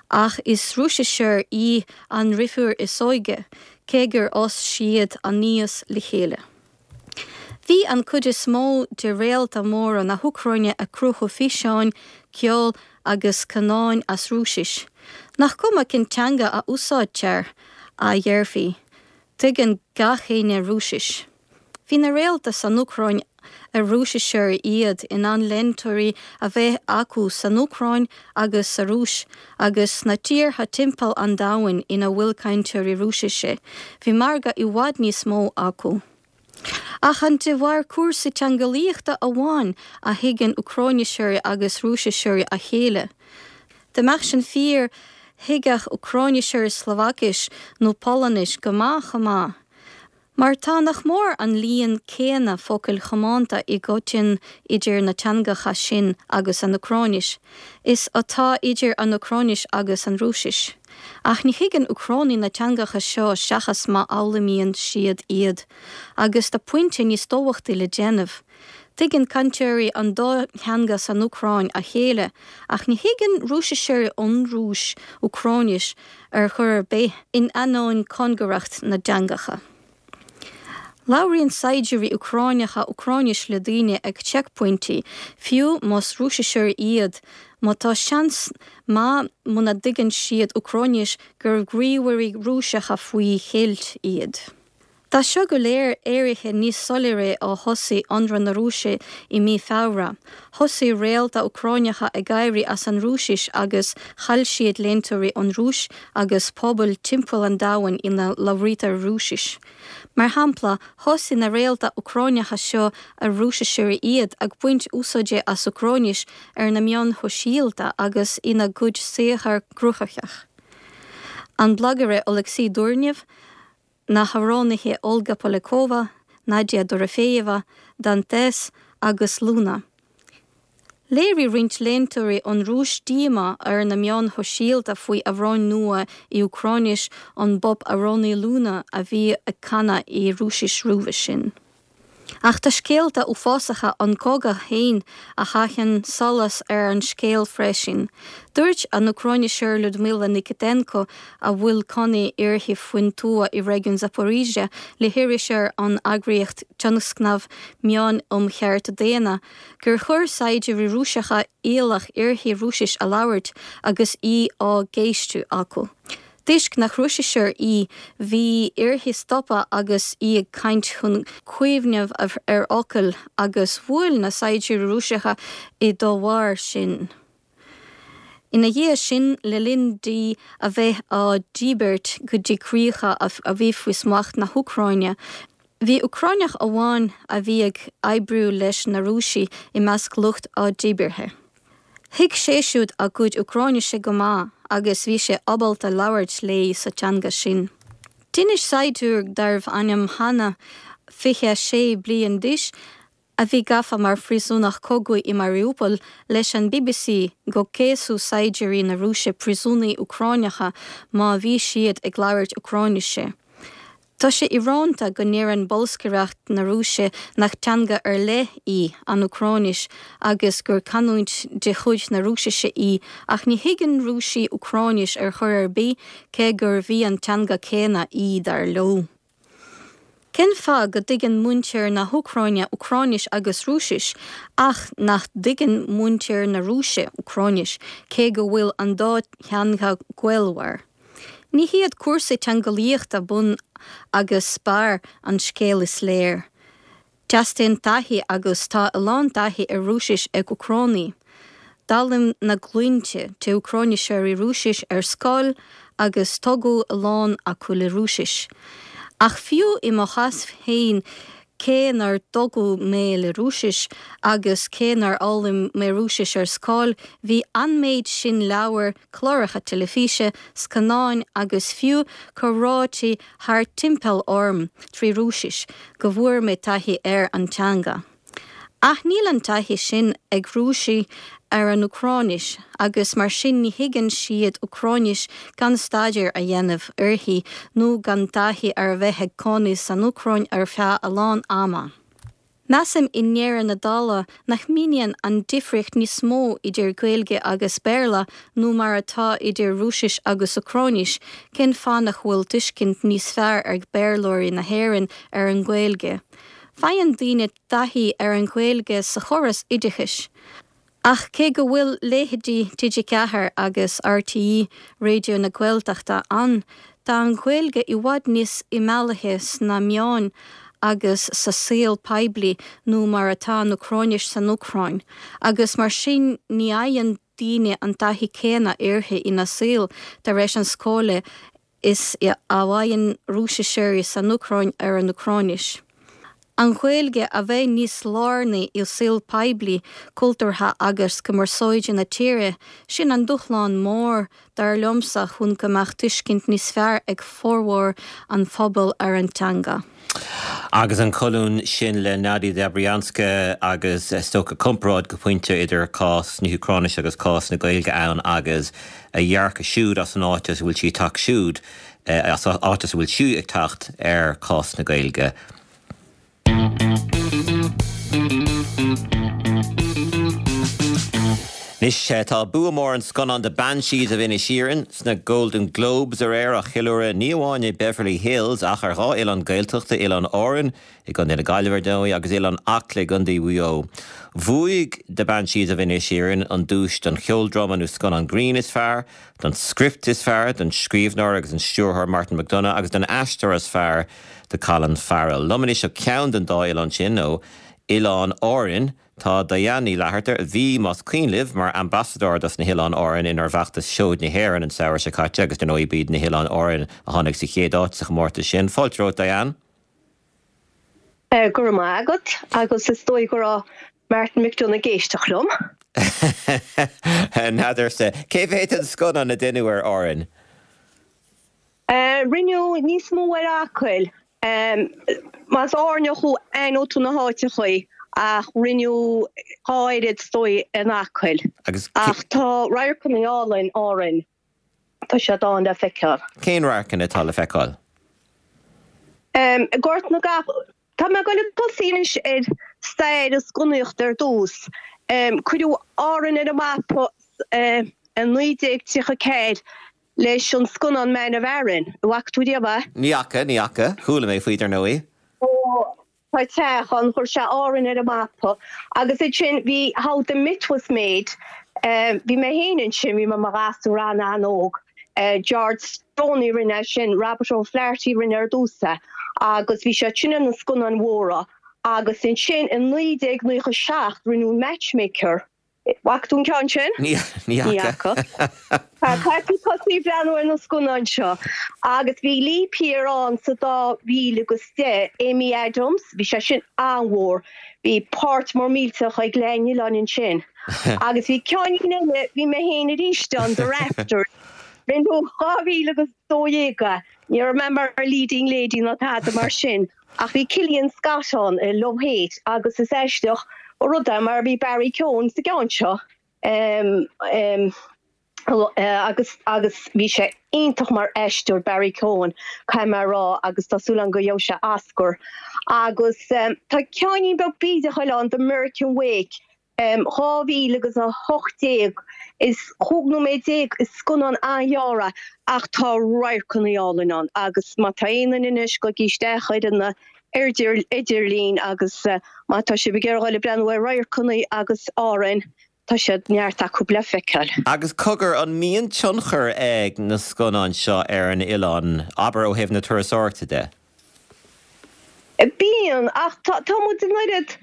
ach is Rúisiseoir í an dheirfiúr is óige, cé gur fhás siad aníos le chéile. Bhí an cuid is mó de réalta móra na hÚcráine ag cruthú físeáin, ceoil agus scannáin as Rúisis. Nach cuma cén teanga a úsáidtear, a dhéarfaí. Tuigeann gach éinne Rúisis. Bhí na réalta san Úcráin ar Rúisiseoirí iad in ann léantóirí a bheith acu san Úcráin agus sa Rúis agus sna tíortha timpeall an domhain ina bhfuil cainteoirí Rúisise. Bhí margadh i bhfad níos mó acu. Ach an de bharr cúrsaí teangeolaíochta amháin a thuigeann Úcráiniseoirí agus Rúisiseoirí a chéile? Dá mbeadh sin fíor, thuigfeadh Úcráiniseoirí Slóvaicis nó Polainnis go maith chomh maith. Mar tá nach mór an líon céanna focail chomónta i gcoiteann idir na teangacha sin agus an Úcráinis, is atá idir an Úcráinis agus an Rúisis. Ach ní thuigeann Úcránaigh na teangacha seo seachas má fhoghlaimíonn siad iad. Agus tá pointe níos tábhachtaí le déanamh. Tuigeann cainteoirí an dá theanga san Úcráin a chéile, ach ní thuigeann Rúisiseoirí ón Rúis Úcráinis ar chor ar bith, in ainneoin cóngaracht na dteangacha. Labhraíonn saighdiúirí Úcráineacha Úcráinis le daoine ag seicphointí, fiú más Rúisiseoirí iad, mar tá seans maith muna dtuigeann siad Úcráinis gur gníomhairí Rúiseacha faoi cheilt iad. Tá seo go léir éirithe níos soiléire ó thosaigh ionradh na Rúise i mí Feabhra. Thosaigh réalta Úcráineacha ag éirí as an Rúisis agus chaill siad léantóirí ón Rúis agus pobail timpeall an domhain ina labhraítear Rúisis. Mar shampla, thosaigh na réalta Úcráineacha seo ar Rúisiseoirí iad ag baint úsáide as Úcráinis ar na meáin shóisialta agus ina gcuid saothar cruthaitheach. An blagaire Oleksiy Durnev, na hamhránaithe Olga Polyakova, Nadia Dorofeyeva, Dantes agus Luna. Léirigh roinnt léantóirí ón Rúis díomá ar na meáin shóisialta faoi amhrán nua i Úcráinis ón bpop-amhránaí Luna a bhí ag canadh i Rúisis roimhe sin. Ach tá scéalta uafásacha ón gcogadh féin a chaitheann solas ar an scéal freisin. Dúirt an Úcráiniseoir Lyudmyla Nikitenko, a bhfuil cónaí uirthi faoin tuath i réigiún Zaporizhzhia, le hiriseoir ón eagraíocht Tionscnamh Meán um Chearta Daonna, gur chuir saighdiúirí Rúiseacha iallach uirthi Rúisis a labhairt agus í á gceistiú acu. Toisc nach Rúisiseoir í, bhí uirthi stopadh agus í ag caint chun cuimhneamh ar fhocail agus bhuail na saighdiúirí Rúiseacha í dá bharr sin. Ina dhiaidh sin, le linn di a bheith á díbirt go dtí críocha a bhí faoi smacht na hÚcráine, bhí Úcráineach amháin a bhí ag oibriú leis na Rúisigh i measc lucht a díbeartha. Thuig sé siúd a cuid Úcráinise go maith agus bhí sé ábalta labhairt léi sa teanga sin. D'inis saighdiúir darbh ainm Hanna, 26 bliain d'aois, a bhí gafa mar phríosúnach cogaidh i Mariupol, leis an bbc go gcéasadh saighdiúirí na Rúise príosúnaigh Úcráineacha má bhí siad ag labhairt Úcráinise. Tá sé íorónta go ndeireann bolscaireacht na Rúise nach teanga ar leith í an Úcráinis agus gur canúint de chuid na Rúisise í ach ní thuigeann Rúisigh Úcráinis ar chor ar bith cé gurb í an teanga céanna í dar leo. Cén fáth go dtuigeann muintir na hÚcráine Úcráinis agus Rúisis ach nach dtuigeann muintir na Rúise Úcráinis cé go bhfuil an dá theanga gaolmhar? Ní hiad cúrsaí teangeolaíochta bun agus barr an scéil is léir. Teastaíonn taithí agus tá a lán taithí ar Rúisis ag Úcránaigh. D'fhoghlaim na glúinte de Úcráiniseoirí Rúisis ar scoil agus tógadh a lán acu le Rúisis. Ach fiú i mo chás féin, cé nár tógadh mé le Rúisis agus cé nár fhoghlaim mé Rúisis ar scoil, bhí an méid sin leabhar, cláracha teilifíse, scannáin agus fiú comhráití thart timpeall orm trí Rúisis go bhfuair mé taithí ar an teanga. Ach níl an taithí sin ag Rúisigh ar an Úcráinis agus mar sin ní thuigeann siad Úcráinis gan staidéar a dhéanamh uirthi nó gan taithí ar a bheith ag cónaí san Úcráin ar feadh a lán ama. Measaim i ndeireadh na dála nach míníonn an difríocht níos mó idir Gaeilge agus Béarla nó mar atá idir Rúisis agus Úcráinis cén fáth nach bhfuil tuiscint níos fearr ag Béarlóirí na hÉireann ar an nGaeilge. Faigheann daoine taithí ar an Ghaeilge sa chóras oideachais. Ach cé go bhfuil leithéidí TG4 agus RTÉ Raidió na Gaeltachta ann, tá an Ghaeilge i bhfad níos imeallaithe sna meáin agus sa saol poiblí ná mar atá an Úcráinis san Úcráin, agus mar sin ní fhaigheann daoine an taithí céanna uirthi ina saol tar éis an scoile is a fhaigheann Rúisiseoirí san Úcráin ar an Úcráinis. An Ghaeilge a bheith níos lárnaí i saol poiblí, cultúrtha agus cumarsáide na tíre, sin an dúshlán mór, dar liomsa, chun go mbeadh tuiscint níos fearr ag formhór an phobail ar an teanga. Agus an colún sin le Nadia Dobryanska agus is dócha comparáid go pointe idir cás na hÚcráinise agus cás na Gaeilge ann agus a dhearcadh siúd as an áit as a bhfuil sí ag teacht siúd, as an áit as a bhfuil sí ag teacht ar chás na Gaeilge. Anois, tá bua mór an scannáin The Banshees of Inisherin sna Golden Globes aréir á cheiliúradh ní amháin i Beverly Hills ach ar dhá oileán Gaeltachta, Oileán Árann i gContae na Gaillimhe ar ndóigh agus Oileán Acla i gContae Mhaigh Eo. Bhuaigh The Banshees of Inisherin an duais don cheoldráma nó scannán grinn is fearr, don script is fearr, don scríbhneoir agus an stiúrthóir Martin McDonagh agus don aisteoir is fearr do Colin Farrell. Liom anois ó cheann den dá oileán sin, ó Oileán Árainn, tá Diane Ní Fhlatharta, a bhí, más cuimhin libh, mar ambasadóir dos na hOileáin Árann inár bhfeachtas Seoid na hÉireann an samhradh seo caite agus dar ndóigh b'iad na hOileáin Árann a tháinig sa chéad áit sa chomórtas sin. Fáilte romhat, Diane. Go raibh maith agat, agus is dóigh go raibh Martin McDonagh ag éisteacht liom. N'fheadarsa. Cé mhéad den scannán a deineadh ar Árainn? Rinneadh níos mó ar Acaill. Más Árainneach thú aithneoidh tú na háiteachaí ach rinneadh dhá oiread is dóigh in Acaill. Ach tá radharcanna álainn Árainn. Tá siad ann le feiceáil. Cén radharcanna atá le feiceáil? Gort na gCapall. Tá mé ag dul ag tosaí anois ar stair an scannánaíochta ar dtús. Cuireadh Árainn ar an mapa i 1934 leis an scannán Man of Aran. An bhfaca tú riamh é? Ní fhaca, ní fhaca. Chuala mé faoi dar ndóigh. Ó, tá teach ann, chuir sé Árainn ar an mapa. Agus ansin bhí How the Myth Was Made. Bhí mé féin ansin, bhí mé i mo ghasúr an-an-óg. George Stoney a rinne é sin, Robert O'Flaherty a rinne ar dtús é agus bhí siad sin ar na scannáin mhóra agus ansin i 1997 rinneadh Matchmaker. Bhfaca tú an ceann sin? Ní fhaca. Caithfidh tú tosaí ag breathnú ar na scannáin seo. Agus bhí Leap Year ann sa 2010, Amy Adams, bhí sé sin an-mhór. Bhí páirt mór millteach ag Leath an Oileáin ansin. Agus bhí ceann eile, bhí mé féin arís ann, The Rafters. Rinneadh 2012 é. Ní raibh mé mar leading lady ná tada mar sin. Ach bhí Killian Scott ann i Love Hate agus is aisteach an rud é mar bhí Barry Keoghan sa gceann seo agus agus bhí sé iontach mar aisteoir Barry Keoghan caithfidh mé a rá agus tá súil agam go gheobhaidh sé Oscar. Agus tá ceainnín beag bídeach eile ann The American Wake 2000 agus 18, is 15 nóiméad is scannán an-ghearr é ach tá radharcanna álainn ann agus má tá aon duine anois gabhaigí isteach ar an idirlíon agus má tá sibh ag iarraidh dul ag breathnú ar radharcanna agus Árainn tá siad neart acu le feiceáil. Agus cogar, an mbíonn tionchar ag na scannáin seo ar an oileán, abair ó thaobh na turasóireachta de? Bíonn, ach tá muid an oiread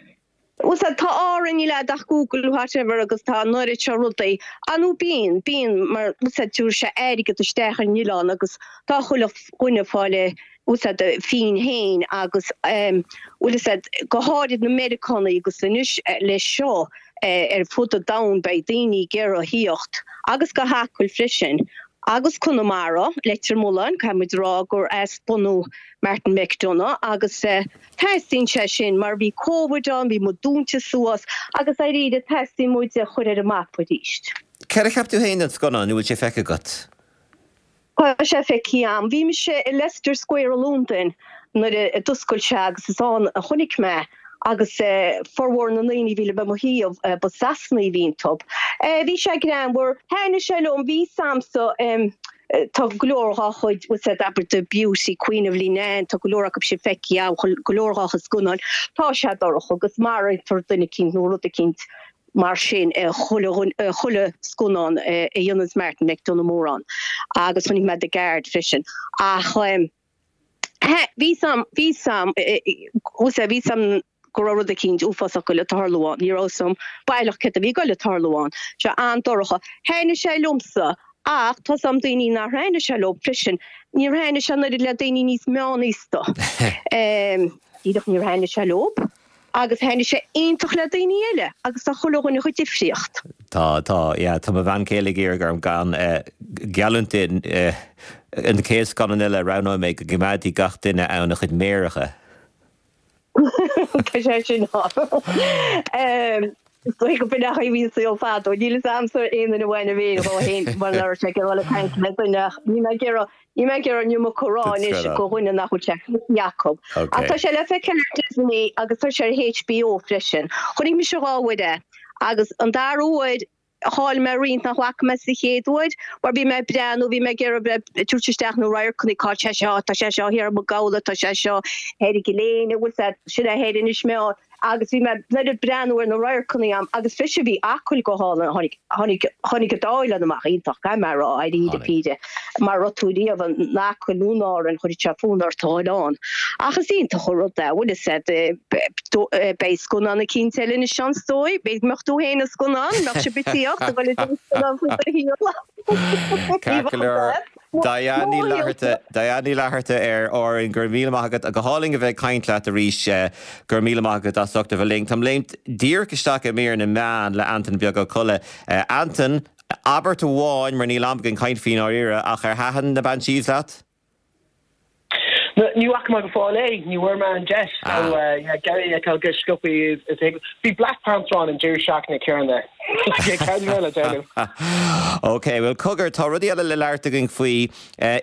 Bhfuil 's a'd, tá Árainn, níl a'd ach Google whatever agus tá an oiread seo rudaí. Ah nó bíonn, bíonn mar bhfuil 's a'd tabharfaidh sé airgead isteach ar an oileán agus tá chuile dhuine ag fáil a bhfuil 's a'd a phingin féin agus ehm bhfuil 'fhios a'd go háirid na Meiriceánaigh agus anois leis seo eh ar fud an domhain beidh daoine ag iarraidh a thíocht agus go hAcaill freisin agus Conamara, Leitir Mealláin, caithfidh muid a rá gur as bunadh Martin McDonagh agus eh Teastaíonn sé sin mar bhí Covid ann, bhí muid dúnta suas agus dáiríre teastaíonn muid a chur ar an mapa arís. Céard a cheap tú féin den scannán, nó bhfuil sé feicthe agat? Tá sé feicthe a'm. Bhí mise i Leicester Square i Londain nuair a d'oscail sé agus is ann a chonaic mé é agus formhór na ndaoine a bhí le mo thaobh ba Sasanaigh a bhí iontu. Bhí sé greannmhar. Thaitnigh sé liom, bhí 'fhios a'msa. Tá go leor dhá chuid, bhfuil 's a'd, abair The Beauty Queen of Leenane, tá go leor acu sin feicthe agam, go leor dhá chuid scannáin. Tá sé dorcha agus maraítear duine eicínt nó rud eicínt mar sin i chuile, chuile scannán a dhéananns Martin McDonagh mórán. Agus chonaic mé The Guard freisin. Ach bhí 's a'm, bhí 's a'm, bhfuil 's a'd, bhí 's a'm go raibh rud eicínt uafásach ag goil a tarlú ann. Ní raibh 'fhios a'm baileach céard a bhí ag goil a tarlú ann. Sé an-dorcha. Thaitnigh sé liomsa ach tá 's a'm daoine nár thaitnigh sé leo freisin. Níor thaitnigh sé an oiread le daoine níos meánaosta. Díreach níor thaitnigh sé leo agus thaitnigh sé iontach le daoine eile agus tá chuile dhuine chomh difríocht. Tá, tá, yeah. Tá mo bhean chéile ag iarraidh orm gan geallúint di an chéad scannán eile a roghnóidh mé go gcoimeádfaidh gach duine ann a chuid méaracha. Tá sé sin ann. Is dóigh go b'in é an chaoi a bhí an saol fadó. Níl fhios a'msa aon duine a bhain a mhéir dhó fhéin mar nach raibh sé ag dul ag caint le duine ach níl mé ag iarraidh, níl mé ag iarraidh an iomarca a rá anois do dhuine nach bhfuil sé feicthe acu. Ach tá sé le feiceáil ar Disney agus tá sé ar HBO freisin. Chonaic mise dhá uair é agus an dara huair Chaill mé roinnt nach bhfaca mé sa chéad uair, mar bhí mé ag breathnú, bhí mé ag iarraidh bheith ag tabhairt isteach na radharcanna, cá tá sé seo, tá sé seo thiar i Maigh Gabhla, tá sé seo thoir i gCill Éinne, bhfuil 's a'd, sin é thoir Inis Meáin, agus bhí mé ag breathnú ar na radharcanna am, agus freisin bhí Acaill go hálainn, tháinig, tháinig, tháinig an dá oileán amach iontach, caithfidh mé a rá, dáiríre píre, mar a raibh tú riamh in Acaill nó in Árainn, chuirfeadh sé fonn ort a dhul ann. Ach is iontach an rud é, bhfuil 'fhios a'd, beidh scannán eicínt eile anois seans dóigh, b'fhéidir go mbeadh tú féin i scannán, mbeadh sibh ag tíocht a dhul i dtús scannán faoi do shaol. Ceart go leor. Diane Ní Fhlatharta, Diane Ní Fhlatharta ar Árainn, go raibh míle maith agat. Go hálainn a bheith ag caint leat arís. Go raibh míle maith agat as ucht a bheith linn. Táim léimt díreach isteach i mír na meán le Antain Beag Ó Colla. Antain, abairt amháin mar níl am againn caint faoi i ndáiríre, ach ar thaitin na Banshees leat? Ní bhfaca mé go fóill é, ní bhfuair mé an deis, so yeah, ag iarraidh é a fheiceáil go sciobtha is a thig. Bhí Black Panther ann an deireadh seachtaine céanna. Cad a bheidh le déanamh? Ok, bhuel cogar, tá rudaí eile le labhairt againn faoi.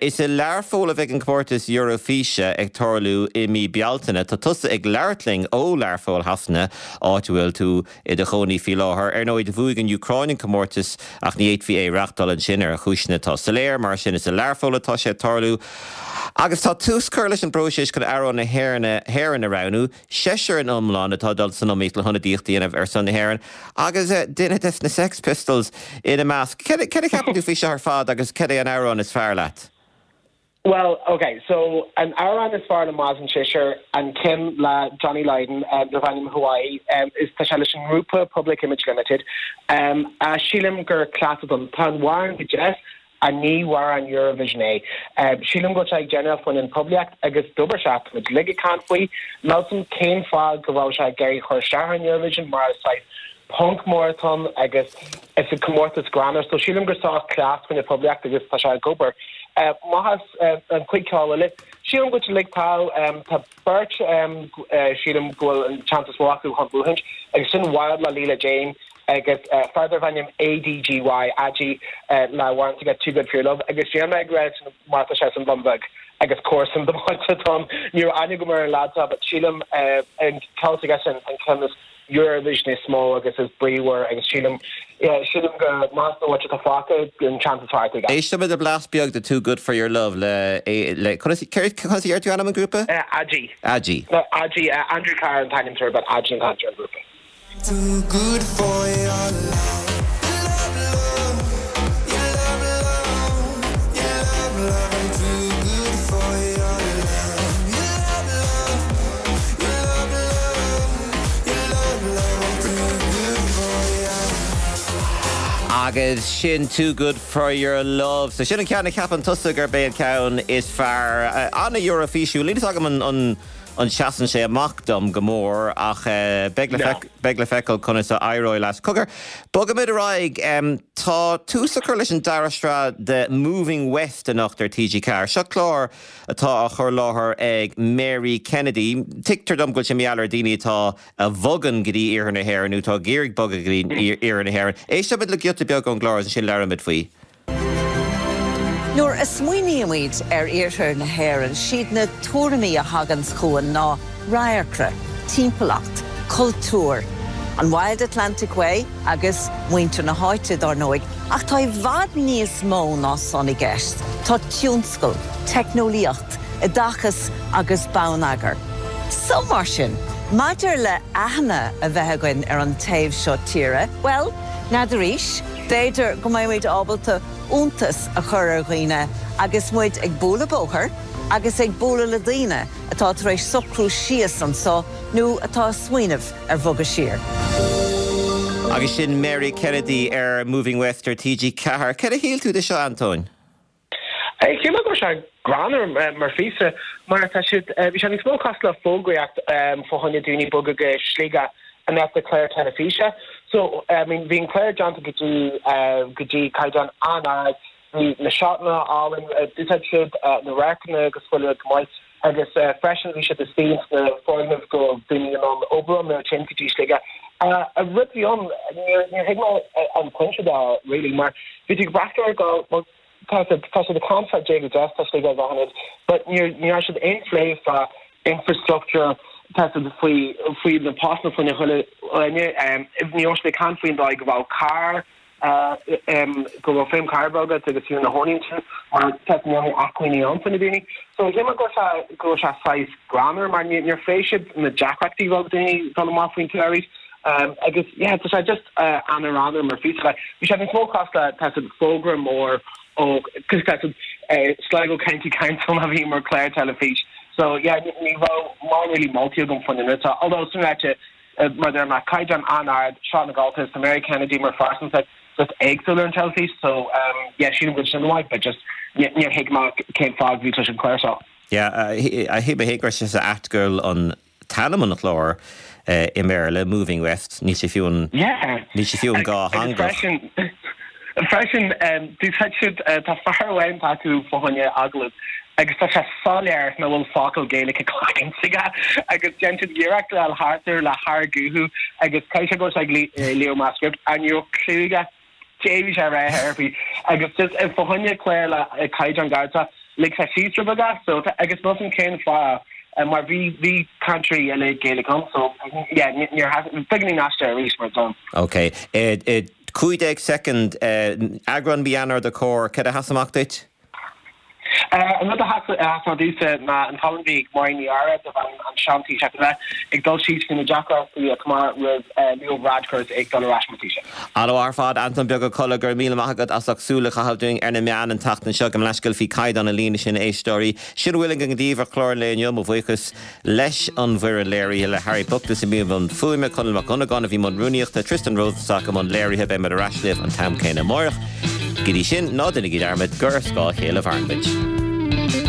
Is i Learpholl a bheidh an comórtas Eurofíse ag tarlú i mí Bealtaine. Tá tusa ag labhairt linn ó Learpholl Shasana, áit a bhfuil tú i do chónaí faoi láthair. Ar ndóigh, do bhuaigh an Úcráin an comórtas ach ní fhéadfaí é a reáchtáil ansin ar chúiseanna atá soiléir. Mar sin, is i Learpholl atá sé ag tarlú. Agus tá tús curtha leis an bpróiseas chun amhrán na hÉireann a roghnú. Seisear in iomlán atá ag dul san iomaíocht le hionadaíocht a dhéanamh ar son na hÉireann agus duine des na Sex Pistols ina measc. Céard a cheapann tú faoi seo ar fad agus cad é an amhrán is fearr leat? Bhuel, ok, so an amhrán is fearr liom as an seisear, an ceann le Johnny Lydon, darb ainm Hawaii, is tá sé leis an ngrúpa Public Image Limited. Sílim gur cleas atá ann. Tá an amhrán go deas, ach ní amhrán Eurovision é. Sílim go bhfuil sé ag déanamh faoin an poiblíocht agus dúirt sé, tá muid uilig ag caint faoi. Níl 'fhios a'm cén fáth go bhfuil sé ag iarraidh chur isteach ar an Eurovision mar is saghas punk mór atá ann agus is comórtas greannmhar so sílim gur saghas cleas faoin poiblíocht agus tá sé ag obair. Maitheas an chuid ceoil eile. Sílim go bhfuil uilig tá tá beirt sílim go bhfuil an chance is mó acu chun buachaint agus sin Wild le Leela Jane agus fear darb ainm ADGY Adgy le amhrán s'aige Too Good For Your Love agus níl mé ag rá sin mar tá sé san Bhun Bheag agus comharsan domsa atá ann. Ní raibh aithne agam ar an leaid seo but sílim an ceol s'aige sin an ceann is Eurovision is mó agus is bríomhar agus sílim, yeah, sílim go meas nó atá fágtha an chance is fearr aige. Éistfimid le blas beag de Too Good For Your Love le, le, conas, céard, conas a deir tú ainm an ghrúpa? Adgy. Adgy. Adgy, Andrew Carr an t-ainm atá air but Adgy an t-ainm ar an ghrúpa. Too good for your love, love, love, your love, love, your love, love, I'm too good for your love, your love, love, your love, love. Agus sin Too Good For Your Love. So sin an ceann a cheapann tusa gurb é an ceann is fearr. An-Eurofísiúil. Níl fhios agam an an seasann sé amach dom go mór ach beidh le beidh le feiceáil conas a éireoidh leis. Cogar, bogaimid ar aghaidh. Tá tús á chur leis an dara sraith de Moving West anocht ar TG4. Seo clár atá á chur i láthair ag Mary Kennedy. Tuigtear dom go bhfuil sé mar gheall ar daoine atá a bhogann go dtí iarthar na hÉireann nó atá ag iarraidh bogadh go dtí iarthar na hÉireann. Éistfimid le giota beag ón gclár agus ansin labhróimid faoi. Nuair a smaoinímid ar iarthar na hÉireann, siad na tuairimí a thaganns chugainn ná radharcra, timpeallacht, cultúr, an Wild Atlantic Way agus muintir na háite, dár ndóigh. Ach tá i bhfad níos mó ná san i gceist, tá tionscal, teicneolaíocht, oideachas agus bonneagar. So mar sin, maidir le aithne a bheith againn ar an taobh seo tíre, bhuel, n'fheadar arís, b'fhéidir go mbeidh muid ábalta iontas a chur ar dhaoine agus muid ag bualadh bóthair agus ag bualadh le daoine atá tar éis socrú síos anso nó atá ag smaoineamh ar bhogadh siar. Agus sin Mary Kennedy ar Moving West ar TG4. Cad a shíl tú de seo, Antóin? Shíl mé go raibh sé greannmhar mar phíosa mar tá siad, bhí sé níos mó cosúil le fógraíocht fá choinne daoine bogadh go Sligeach in áit le clár teilifíse. So, I mean, bhí an clár déanta go dtí, go dtí caighdeán an-ard, bhí na seotanna álainn, d'úsáid siad na radharcanna agus chuile rud go maith agus freisin bhí siad istigh ins na foirgnimh go raibh daoine in ann obair ann nuair a téann go dtí Sligeach. An rud a bhí ann, níor, níor thuig mé an pointe de really mar bhí tú ag breathnú air ag goil, bhuel, Tá siad tá siad ag caint fá dé go deas tá Sligeach go hionad but níor ní raibh siad aon phlé fá infrastructure tá siad faoi faoi na postanna faoina chuile dhuine ní raibh siad ag caint faoin dóigh go bhfuil carr go bhfuil feidhm carr agat agus thú ina chónaí ansin mar tá siad níl acmhainní ann faoi na daoine. So shíl mé go raibh sé go raibh sé saghas greannmhar mar níor phléigh siad na deacrachtaí bheadh daoine dul amach faoin tuath arís. Agus yeah tá sé just an-ghreannmhar mar phíosa like bhí sé níos mó cosúil le tá siad fógra mór ó cos tá siad Sligo County Council a bhí mar clár teilifís so yeah ní raibh mórán really moltaí agam faoin rud seo although sin ráite mar a deir mé caighdeán an-ard seo na Gaeltacht tá Mary Kennedy mar phearsantacht just éagsúil ar an teilifís so yeah sílim go bhfuil sin maith but just níor thuig mé cén fáth go bhí leis an clár seo. Yeah shíl mé féin go raibh sé sa ait go bhfuil an t-ainm an chláir i mBéarla, Moving West, níl sé fiú an, níl sé fiú an dhátheangach. Freisin, d'úsáid siad, tá fear amháin acu fá choinne agallamh agus tá sé soiléir nach bhfuil focal Gaeilge cainte aige agus déanann siad iarracht le thart air le hargúthú agus caithfidh sé go bhfuil sé ag léamh amach script and ní raibh clue aige cé bhí sé a rá ar bith agus just fá choinne clár le caighdeán gairid seo lig sé síos rud beag so agus níl 'fhios a'm cén fáth mar bhí bhí cainteoirí eile Gaeilge ann so yeah níor beagáinín aisteach arís mar dom. Ok. 15 soicind, eagrán mí Eanáir de Comhar, cad a sheas amach duit? An rud a sheas amach domhsa ná an colún a bhí ag Máirín Ní Eadhra darb ainm An Sean-Taoiseach Eile ag dul síos faoi na deacrachtaí a chomh maith roimh Leo Varadkar is é ag dul ar ais mar Taoiseach. An-mhaith ar fad, Antóin Beag Ó Colla, go raibh míle maith agat as ucht súil a chaitheamh dúinn ar na meáin an tseachtain seo. Gabh mo leithscéal faoi caighdeán na líne sin, a éisteoirí. Sin a bhfuil againn daoibh ar chlár an lae inniu. Mo bhuíochas leis an bhfoireann léirithe, le Harry Buckless i mbun fuaime, Conall Mac Dhonnagáin a bhí i mbun rúnaíochta, Tristan Rosenstock i mbun léirithe. Beidh muid ar ais libh an t-am céanna amáireach. Go dtí sin, ná déanaigí dearmad gur ar scáth a chéile a mhaireann muid.